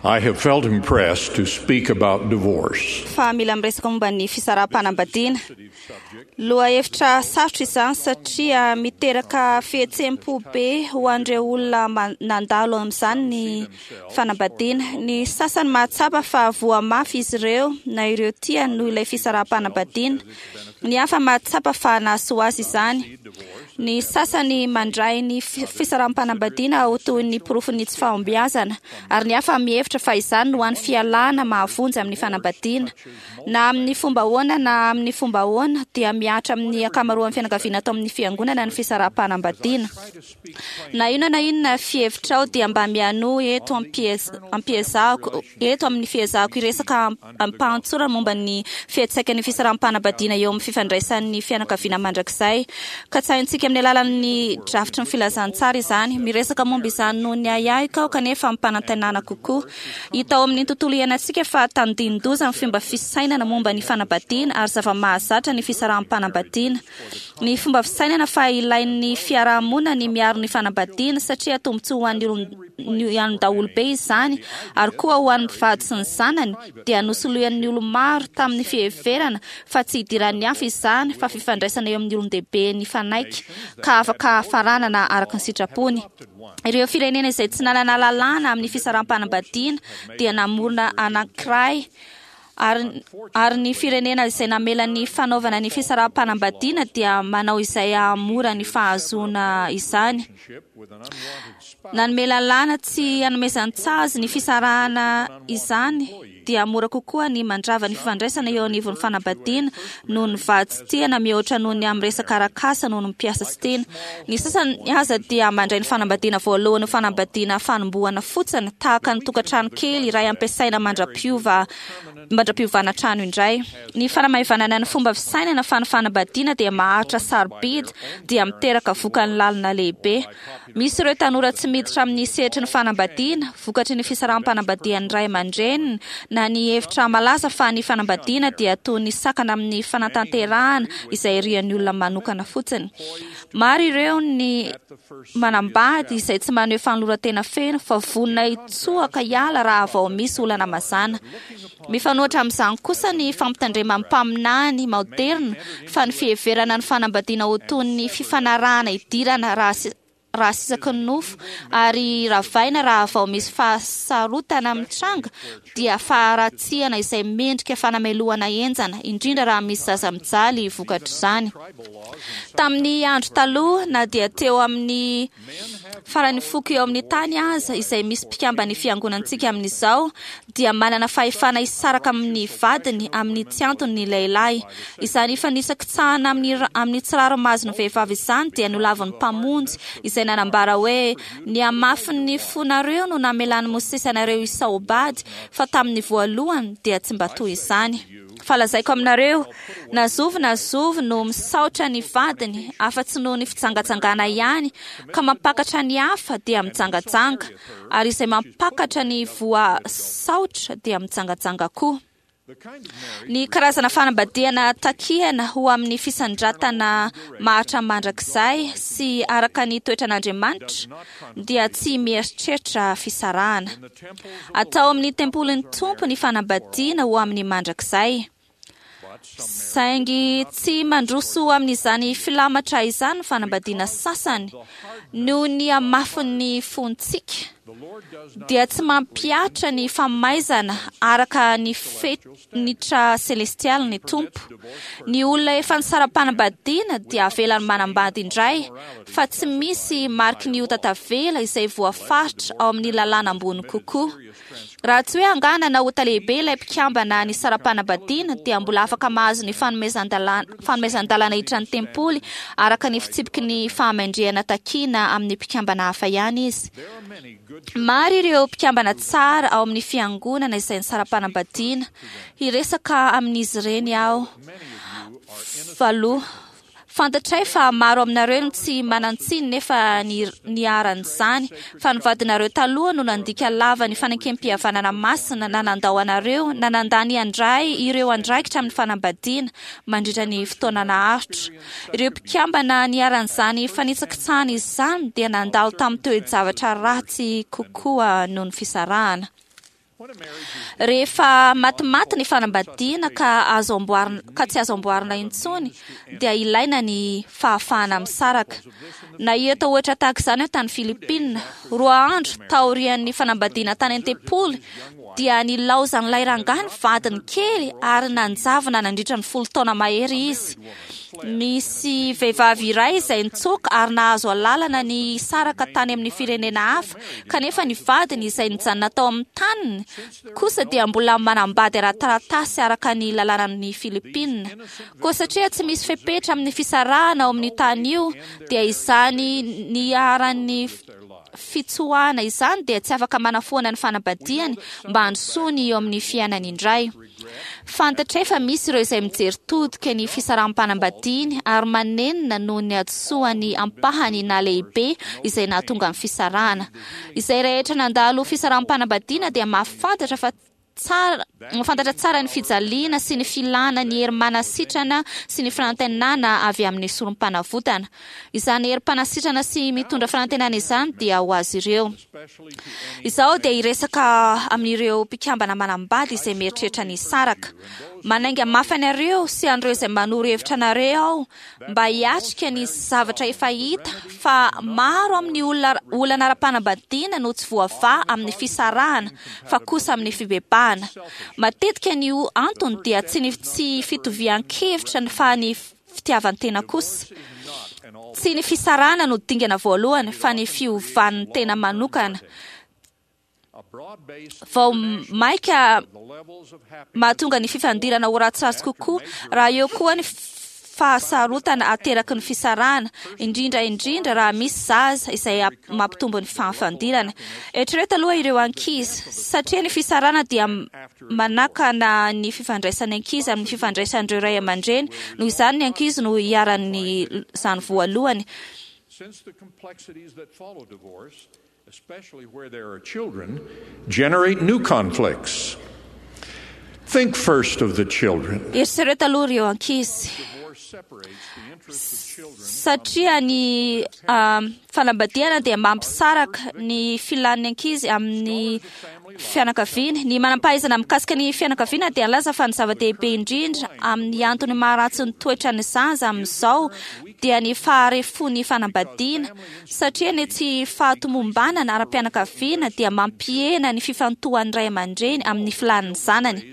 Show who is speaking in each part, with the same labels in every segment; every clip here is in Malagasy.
Speaker 1: I have felt impressed to speak about divorce.
Speaker 2: Fa mila miresaka momba ny fisaraham-panambadiana. Lohahevitra sarotra izany satria miteraka fihetseham-po be ho an'ireo olona nandalo amin'izany ny fanambadiana. Ny sasany mahatsapa fa voa mafy izy ireo na ireo tiany noho ilay fisaraham-panambadiana. Ny hafa mahatsapa fa nahasoa azy izany. Ny sasany mandray ny fisaraham-panambadiana ho toy ny porofon'ny tsy fahombiazana, ary ny hafa mihevitra fa izany no hany fialana mahavonjy amin'ny fanambadiana. Na amin'ny fomba ahoana na amin'ny fomba ahoana, dia mihatra amin'ny ankamaroan'ny fianakaviana ato amin'ny Fiangonana ny fisaraham-panambadiana. Na inona na inona fihevitrao dia mba mianoa eto am-piezahako eto amin'ny fiezahako hiresaka amim-pahatsorana momba ny fiantsaikan'ny fisaraham-panambadiana eo amin'ny fifandraisan'ny fianakaviana mandrakizay. Katsahintsika amin'ny alalan'ny drafitry ny filazantsara izany. Miresaka momba izany noho ny ahiahiko aho kanefa amim-panantenana kokoa. Hita ao amin'ny tontolo iainantsika fa tandindon-doza ny fomba fisainana momba ny fanambadiana ary zava-mahazatra ny fisaraham-panambadiana. Ny fomba fisainana fa ilain'ny fiaraha-monina ny miaro ny fanambadiana satria tombontsoa ho an'ny olon daholobe izany ary koa ho an'ny mpivady sy ny zanany dia nosoloian'ny olo-maro tamin'ny fiheverana fa tsy idiran'ny hafa izany fa fifandraisana eo amin'ny olon-dehibe nifanaiky ka afaka faranana araka ny sitrapony. Ireo firenena izay tsy nanana lalàna amin'ny fisaraham-panambadiana dia namorona anankiray Ary, ary ny firenena izay namela ny fanaovana ny fisaraham-panambadiana dia manao izay hahamora ny fahazoana izany. Nanome lalàna tsy hanomezan-tsazy ny fisarahana izany dia mora kokoa ny mandrava ny fifandraisana eo anivon'ny fanambadiana noho ny vady tsy tiana mihoatra noho ny amin'ny resaka arak'asa noho ny mpiasa tsy tiana. Ny sasany aza dia mandray ny fanambadiana voalohany ho fanambadiana fanombohana fotsiny, tahaka ny tokantrano kely iray ampiasaina mandra-piova mandra-piovana trano indray. Ny fanamaivanana ny fomba fisainana fa ny fanambadiana dia maharitra sarobidy dia miteraka vokany lalina lehibe. Misy ireo tanora tsy miditra amin'ny sehatry ny fanambadiana, vokatry ny fisaraham-panambadian'ny ray aman-dreniny, na ny hevitra malaza fa ny fanambadiana dia toy ny sakana amin'ny fanatanterahana izay irian'ny olona manokana fotsiny. Maro ireo ny manambady izay tsy maneho fanoloran-tena feno fa vonona hitsoaka hiala raha vao misy olana mazàna. Mifanohitra amin'izany kosa ny fampitandreman'ny mpaminany maoderina fa ny fiheverana ny fanambadiana ho toy ny fifanarahana idirana raha raha sisaky ny nofo ary ravaina raha vao misy fahasarotana mitranga dia faharatsiana izay mendrika fanamelohana henjana, indrindra raha misy zaza mijaly vokatr'izany. Tamin'ny andro taloha, na dia teo amin'ny faran'ny foko eo amin'ny tany aza, izay misy mpikamban'ny fiangonantsika amin'izao, dia manana fahefana hisaraka amin'ny vadiny amin'ny tsy antony ny lehilahy. Izany fanitsakitsahana amin'ny amin'ny tsy rariny mahazo ny vehivavy izany dia nolavin'ny Mpamonjy, izay nanambara hoe, Ny hamafin'ny fonareo no namelan'i Mosesy anareo hisaobady, fa tamin'ny voalohany dia tsy mba toy izany. Fa lazaiko aminareo, na zovy na zovy no misaotra ny vadiny, afa-tsy noho ny fijangajangana ihany, ka mampakatra ny hafa, dia mijangajanga, ary izay mampakatra ny voasaotra dia mijangajanga koa. Ny karazana fanambadiana takiana ho amin'ny fisandratana maharitra mandrakizay sy araka ny toetran'Andriamanitra dia tsy mieritreritra fisarahana. Atao amin'ny tempolin'ny Tompo ny fanambadiana ho amin'ny mandrakizay. Saingy tsy mandroso amin'izany filamatra izany ny fanambadiana sasany noho ny hamafin'ny fontsika, dia tsy mampihatra ny famaizana araka ny fenitra selestialy ny Tompo. Ny olona efa nisara-panambadiana dia avelany manambady indray, fa tsy misy mariky ny ota tavela izay voafaritra ao amin'ny lalàna ambony kokoa. Raha tsy hoe angaha nanao ota lehibe ilay mpikambana nisara-panambadiana, dia mbola afaka mahazo ny fanomezan-dalàna fanomezan-dalàna hiditra ny tempoly araka ny fitsipiky ny fahamendrehana takiana amin'ny mpikambana hafa ihany izy. Maro ireo mpikambana tsara ao amin'ny fiangonana izay nisara-panambadiana. Hiresaka amin'izy ireny aho valoha. Fantatray fa maro aminareo no tsy manan-tsiny nefa niharan'izany, fa ny vadinareo taloha no nandika lava ny fanekempihavanana masina na nandao anareo na nandà ny handray ireo andraikitra amin'ny fanambadiana mandritra ny fotoana naharitra. Ireo mpikambana niharan'izany fanitsakitsahana izany dia nandalo tamin'ny toe-javatra ratsy kokoa noho ny fisarahana. Rehefa matimaty ny fanambadiana ka azo amboarina ka tsy azo amboarina intsony dia ilaina ny fahafahana misaraka. Nahita ohatra tahaka izany aho tany Filipina. 2 andro taorian'ny fanambadiana tany an-tempoly dia nilaozan'ilay rangahy ny vadiny kely ary nanjavona nandritra ny 10 taona mahery izy. Nisy vehivavy iray izay nitsoaka ary nahazo alalana ny hisaraka tany amin'ny firenena hafa, kanefa ny vadiny izay nijanona tao amin'ny taniny kosa dia mbola manambady ara-taratasy araka ny lalànan'ny Filipina. Koa satria tsy misy fepetra amin'ny fisarahana ao amin'ny tany io, dia izany niharan'ny fitsoahana izany dia tsy afaka manafoana ny fanambadiany mba handrosoany eo amin'ny fiainany indray. Fantatray fa misy ireo izay mijery todika ny fisaraham-panambadiany ary manenina noho ny hadisoany ampahany na lehibe izay nahatonga ny fisarahana. Izay rehetra nandalo fisaraham-panambadiana dia mahafantatra fa tsara mahafantatra tsara ny fijaliana sy ny filana ny hery manasitrana sy ny fanantenana avy amin'ny sorom-panavotana. Izany herim-panasitrana sy mitondra fanantenana izany dia ho azy ireo. Izaho dia hiresaka amin'ireo mpikambana manambady izay mieritreritra ny hisaraka. Manainga mafy anareo sy an'ireo izay manoro hevitra anareo aho mba hiatrika ny zavatra efa hita fa maro amin'ny olona olana ara-panambadiana no tsy voavaha amin'ny fisarahana fa kosa amin'ny fibebahana. Matetika ny antony dia tsy ny tsy fitovian-kevitra fa ny fitiavan-tena kosa. Tsy ny fisarahana no dingana voalohany fa ny fiovan'ny tena manokana. Vao maika mahatonga ny fifandirana ho ratsiratsy kokoa raha eo koa ny fahasarotana ateraky ny fisarahana, indrindra indrindra raha misy zaza izay mampitombo ny fahafandirana. Eritrereto aloha ireo ankizy, satria ny fisarahana dia manakana ny fifandraisan'ny ankizy amin'ny fifandraisan'ireo ray aman-dreny, noho izany ny ankizy no iharan'izany voalohany.
Speaker 1: Since the complexities that follow divorce, especially where there are children, generate new conflicts. Think first of the children.
Speaker 2: Eritrereto aloha ireo ankizy.
Speaker 1: Divorce separates the interests of children
Speaker 2: Satria ny fanambadiana dia mampisaraka ny filan'ny ankizy amin'ny fianakaviana. Ny manam-pahaizana mikasika ny fianakaviana dia nilaza fa ny zava-dehibe indrindra amin'ny antony maharatsy ny toetran'ny zaza amin'izao dia ny faharefon'ny fanambadiana, satria ny tsy fahatomombanana ara-pianakaviana dia mampihena ny fifantohan'ny ray aman-dreny amin'ny filan'ny zanany.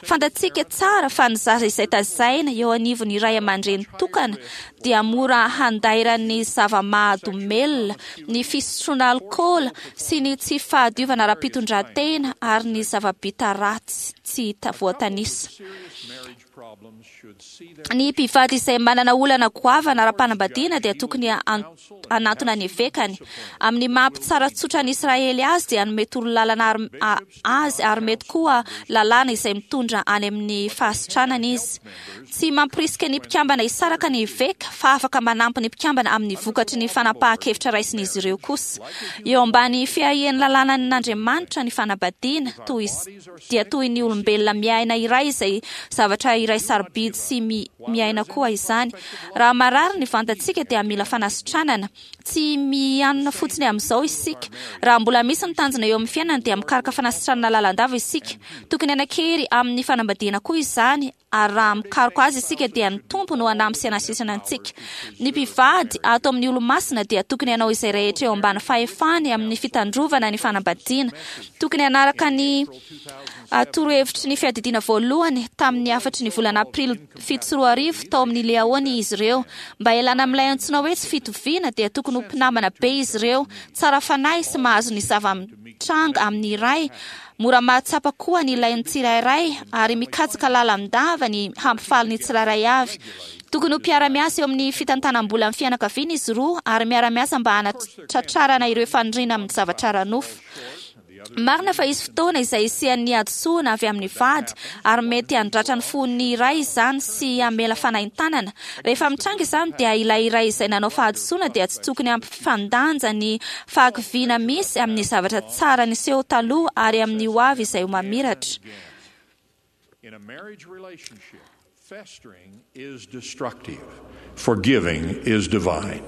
Speaker 2: Fantatsika tsara fa ny zaza izay tazaina eo anivon'ny ray aman-dreny tokana dia mora handairan'ny zava-mahadomelina, ny fisotroana alkaola sy ny tsy fahadiovana ara-pitondran-tena ary ny zava-bita ratsy tsy voatanisa.
Speaker 1: Serious marriage problems should see their
Speaker 2: Ny mpivady izay manana olana goavana ara-panambadiana dia tokony hanantona ny evekany. Amin'ny maha mpitsara tsotra ny Israely azy dia hanome torolalana azy ary mety koa lalàna izay mitondra any amin'ny fahasitranana izy. Tsy mampirisika ny mpikambana hisaraka ny eveka fa afaka manampy ny mpikambana amin'ny vokatry ny fanapahan-kevitra raisin'izy ireo kosa. Eo ambany fiahian'ny lalànan'Andriamanitra ny fanambadiana toy dia toy ny olombelona miaina iray izay zavatra iray sarobidy sy miaina koa izany. Raha marary ny vantantsika dia mila fanasitranana. Tsy mianona fotsiny amin'izao isika. Raha mbola misy ny tanjona eo amin'ny fiainana dia mikaroka fanasitranana lalandava isika. Tokony hanan-kery amin'ny fanambadiana koa izany, ary raha mikaroka azy isika dia ny Tompo no hanampy sy hanasitrana antsika. Ny mpivady ato amin'ny Olomasina dia tokony hanao izay rehetra eo ambany fahefany amin'ny fitandrovana ny fanambadiana. Tokony hanaraka ny torohevitry ny fiadidiana voalohany tamin'ny hafatry ny volana Aprily 2007 tao amin'ny Liahona izy ireo. Mba hialana amin'ilay antsoina hoe tsy fitoviana dia tokony ho mpinamana be izy ireo, tsara fanahy sy mahazo ny zava-mitranga amin'ny iray, mora mahatsapa koa ny ilain'ny tsirairay ary mikatsaka lalandava ny hampifaly ny tsirairay avy. Tokony ho mpiara-miasa eo amin'ny fitantanam-bola amin'ny fianakaviana izy roa ary miara-miasa mba hanatratrarana ireo faniriana amin'ny zavatra ara-nofo. Marina fa hisy fotoana izay hisian'ny hadisoana avy amin'ny vady ary mety handratra ny fon'ny iray izany sy hamela fanaintanana. Rehefa mitranga izany dia ilay iray izay nanao fahadisoana dia tsy tokony hampifandanja ny fahakiviana misy amin'ny zavatra tsara niseho taloha ary amin'ny hoavy izay ho mamiratra.
Speaker 1: In a marriage relationship, festering is destructive. Forgiving is divine.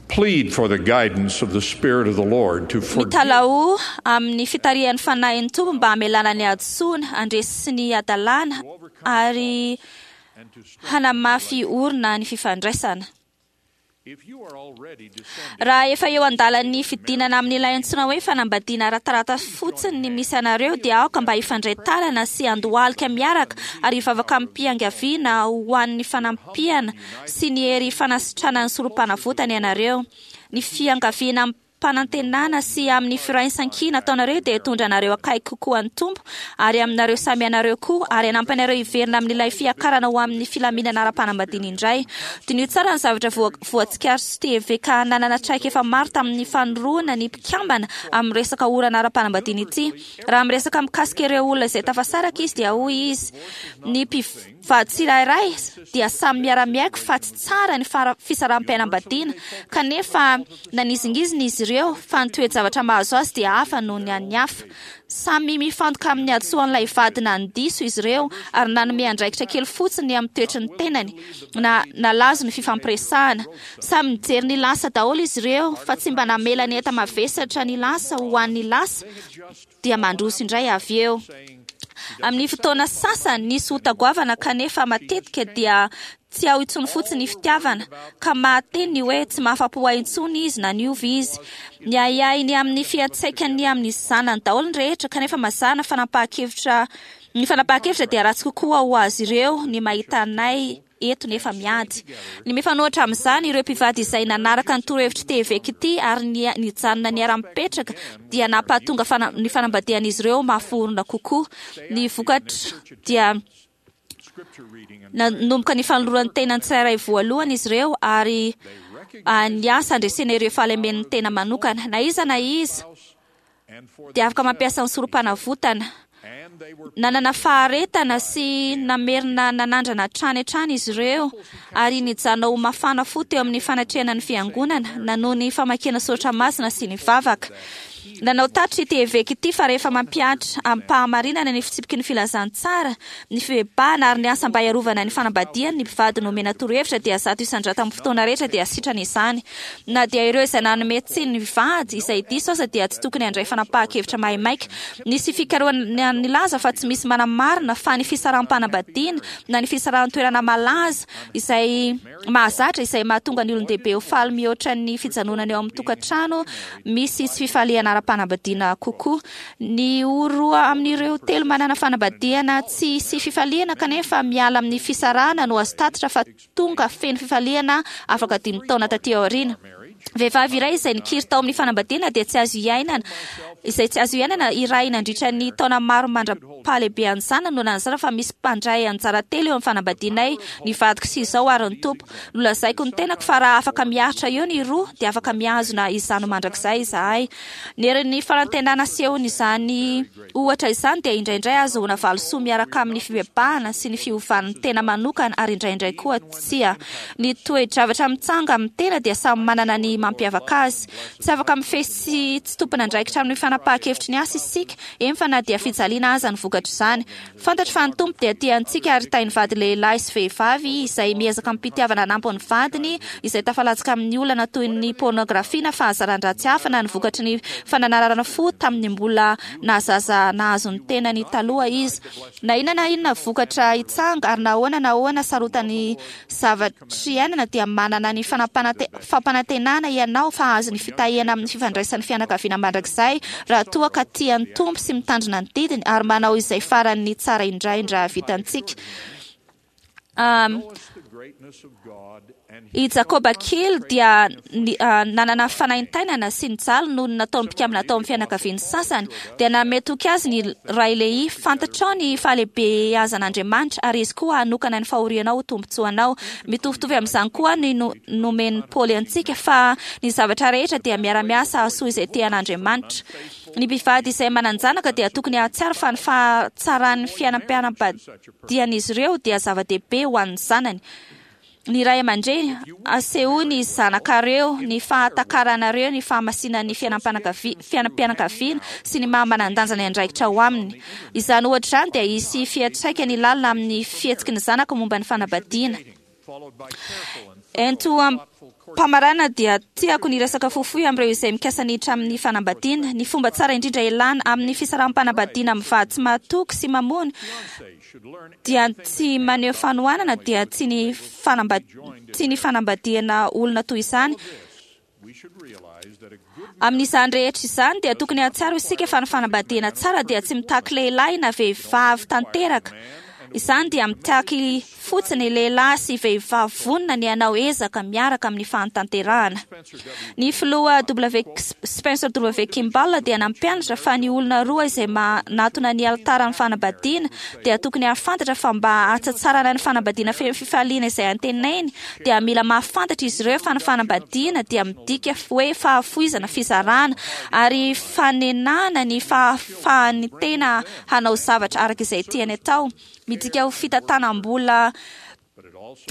Speaker 1: Plead for the guidance of the Spirit of the Lord to forgive
Speaker 2: Mitalaho amin'ny fitarihan'ny fanahin'ny Tompo mba hamelana ny hadisoana, handresy ny hadalana ary
Speaker 1: and to strengthen.
Speaker 2: hanamafy orina ny fifandraisana.
Speaker 1: If you are already descending
Speaker 2: Raha efa eo an-dalan'ny fidinana amin'ilay antsoina hoe fanambadiana ara-tarata fotsiny ny misy anareo dia aoka mba hifandray tanana sy handohalika miaraka ary hivavaka amim-piangaviana ho an'ny fanampiana sy ny hery fanasitranan'ny sorom-panavotana ianareo. Ny fiangaviana amim-panantenana sy amin'ny firaisankina ataonareo dia hitondra anareo akaiky kokoa ny Tompo ary aminareo samy ianareo koa ary hanampy anareo hiverina amin'ilay fiakarana ho amin'ny filaminana ara-panambadiana indray. Diniho tsara ny zavatra voatsikary sy TVK nanana traikefa maro tamin'ny fanoroana ny mpikambana amin'ny resaka orana ara-panambadiana ity. Raha miresaka mikasika ireo olona izay tafasaraka izy dia hoy izy: ny mpivady tsirairay dia samy miara-miaiky fa tsy tsara ny fisaraham-pianambadiana, kanefa nanizingizina izy ireo fa ny toe-javatra mahazo azy dia hafa noho ny an'ny hafa. Samy mifantoka amin'ny hadisoan'ilay vady nandiso izy ireo ary nanome andraikitra kely fotsiny amin'ny toetry ny tenany na nalazo ny fifampiresahana. Samy nijery ny lasa daholo izy ireo fa tsy mba namela ny enta-mavesatra ny lasa ho an'ny lasa dia mandroso indray avy eo. Amin'ny fotoana sasany nisy ota goavana kanefa matetika dia tsy ao intsony fotsiny ny fitiavana ka mahateny ny hoe tsy mahafa-po ahy intsony izy na niova izy. Ny ahiahiny amin'ny fiantraikany amin'ny zanany daholo ny rehetra kanefa mazàna fanapahan-kevitra ny fanapahan-kevitra dia ratsy kokoa ho azy ireo ny mahita anay eto nefa miady. Ny mifanohitra amin'izany, ireo mpivady izay nanaraka ny torohevitry TVK ity ary nijanona niara-mipetraka dia nampahatonga ny fanambadian'izy ireo mahaforona kokoa. Ny vokatra dia nanomboka ny fanoloran'ny tena tsirairay voalohany izy ireo ary niasa handresena ireo fahalemen'ny tena manokana. Na iza na iza dia afaka mampiasa ny sorom-panavotana. Nanana faharetana sy namerina nanandrana hatrany hatrany izy ireo ary nijanona ho mafana fo teo amin'ny fanatrehana ny fiangonana na noho ny famakiana soratra masina sy ny vavaka. Nanao tatitra ity eveka ity fa rehefa mampihatra amim-pahamarinana ny fitsipiky ny filazantsara, ny fibebahana ary ny asa mba hiarovana ny fanambadiany ny mpivady nomena torohevitra dia 100% amin'ny fotoana rehetra dia sitrana izany. Na dia ireo izay nanome tsiny ny vady izay diso aza dia tsy tokony handray fanapahan-kevitra maimaika. Nisy fikarohana nilaza fa tsy misy manamarina fa ny fisaraham-panambadiana na ny fisarahan-toerana malaza izay mahazatra izay mahatonga ny olon-dehibe ho faly mihoatra ny fijanonana eo amin'ny tokantrano misy tsy fifaliana ara-panambadiana kokoa. Ny roa amin'ireo telo manana fanambadiana tsy sy fifaliana kanefa miala amin'ny fisarahana no azo tatitra fa tonga feno fifaliana afaka 5 taona taty aoriana. Vehivavy iray izay nikiry tao amin'ny fanambadiana dia tsy azo iainana izay tsy azo iainana iray nandritra ny taona maro mandra-pahalehibean'ny zanany no nanazava fa misy mpandray anjara telo eo amin'ny fanambadianay, ny vadiko sy izao ary ny Tompo. Nolazaiko ny tenako fa raha afaka miaritra eo ny roa dia afaka mihazona izany mandrakizay izahay. Ny herin'ny fanantenana asehony izany ohatra izany dia indraindray ahazoana valisoa miaraka amin'ny fibebahana sy ny fiovan'ny tena manokana ary indraindray koa tsia. Ny toe-javatra mitsanga amin'ny tena dia samy manana ny mampiavaka azy. Tsy afaka mifehy sy tsy tompon'andraikitra amin'ny fanapahan-kevitry ny asa isika, eny fa na dia fijaliana aza ny vokatr'izany. Fantatro fa ny Tompo dia tia antsika ary tahin'ny vady lehilahy sy vehivavy izay miezaka amim-pitiavana hanampy ny vadiny izay tafalatsaka amin'ny olana toy ny pôrnôgrafia na fahazaran-dratsy hafa na ny vokatry ny fananarana fo tamin'ny mbola nahazaza nahazo ny tenany taloha izy. Na inona na inona vokatra hitsanga ary na ahoana na ahoana sarotan'ny zavatry iainana dia manana ny fampanantenana ianao fa hahazo ny fitahiana amin'ny fifandraisan'ny fianakaviana mandrakizay raha toa ka tia ny Tompo sy mitandrina ny didiny ary manao izay faran'ny tsara indraindra vitantsika. I Jakoba kely dia nanana fanaintainana sy nijaly noho ny nataon'ny mpikambana tao amin'ny fianakaviany sasany. Dia nanome toky azy ny ray Lehia, fantatrao ny fahalehibeazan'Andriamanitra ary Izy koa hanokana ny fahorianao ho tombontsoanao. Mitovitovy amin'izany koa ny nomen'i Paoly antsika fa ny zavatra rehetra dia miara-miasa hahasoa izay tia an'Andriamanitra. Ny mpivady izay manan-janaka dia tokony hahatsiaro fa ny fahatsaran'ny fiainam-pianambadian'izy ireo dia zava-dehibe ho an'ny zanany. Ny ray aman-dreny, asehoy ny zanakareo ny fahatakaranareo ny fahamasinan'ny fiainam-pianakaviana sy ny maha manan-danja ny andraikitra ao aminy. Izany ohatra izany dia hisy fiantraikany lalina amin'ny fihetsiky ny zanaka momba ny fanambadiana. Ento am-pamarana dia tiako ny resaka fohifohy amin'ireo izay mikasa ny hiditra amin'ny fanambadiana. Ny fomba tsara indrindra ialana amin'ny fisaraham-panambadiana amin'ny vady tsy mahatoky sy mamono dia tsy maneho fanohanana dia tsy ny fanamba tsy ny fanambadiana olona toy izany. Amin'izany rehetra izany dia tokony hahatsiaro isika fa ny fanambadiana tsara dia tsy mitaky lehilahy na vehivavy tanteraka. Izany dia mitaky fotsiny lehilahy sy vehivavy vonona ny hanao ezaka miaraka amin'ny fahatanterahana. Ny filoha W. Spencer W. Kimball dia nampianatra fa ny olona roa izay manatona ny alitaran'ny fanambadiana dia tokony hahafantatra fa mba hahatsatsarana ny fanambadiana feno fifaliana izay antenainy dia mila mahafantatra izy ireo fa ny fanambadiana dia midika hoe fahafoizana, fizarana ary fanenana ny fahafahan'ny tena hanao zavatra araka izay tiany atao. Midika ho fitantanam-bola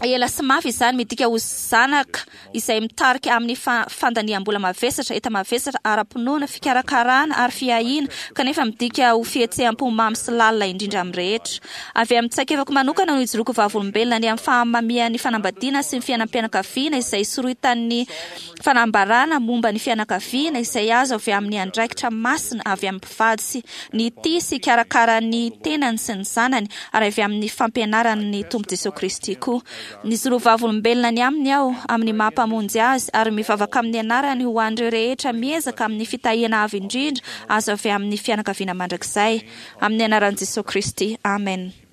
Speaker 2: ela sy mafy izany, midika ho zanaka izay mitarika amin'ny fandaniam-bola mavesatra, enta-mavesatra ara-pinoana, fikarakarana ary fiahiana, kanefa midika ho fihetseham-po mamy sy lalina indrindra amin'ny rehetra. Avy amin'ny tsaikefako manokana no ijoroako vavolombelona ny amin'ny fahamamian'ny fanambadiana sy ny fiainam-pianakaviana izay soritan'ny fanambarana momba ny fianakaviana izay azo avy amin'ny andraikitra masina avy amin'ny mpivady sy ny tia sy hikarakara ny tenany sy ny zanany ary avy amin'ny fampianaran'ny Tompo Jesoa Kristy koa. Nijoro vavolombelona ny aminy aho amin'ny maha Mpamonjy azy ary mivavaka amin'ny anarany ho an'ireo rehetra miezaka amin'ny fitahiana avo indrindra azo avy amin'ny fianakaviana mandrakizay. Amin'ny anaran'i Jesoa Kristy. Amen.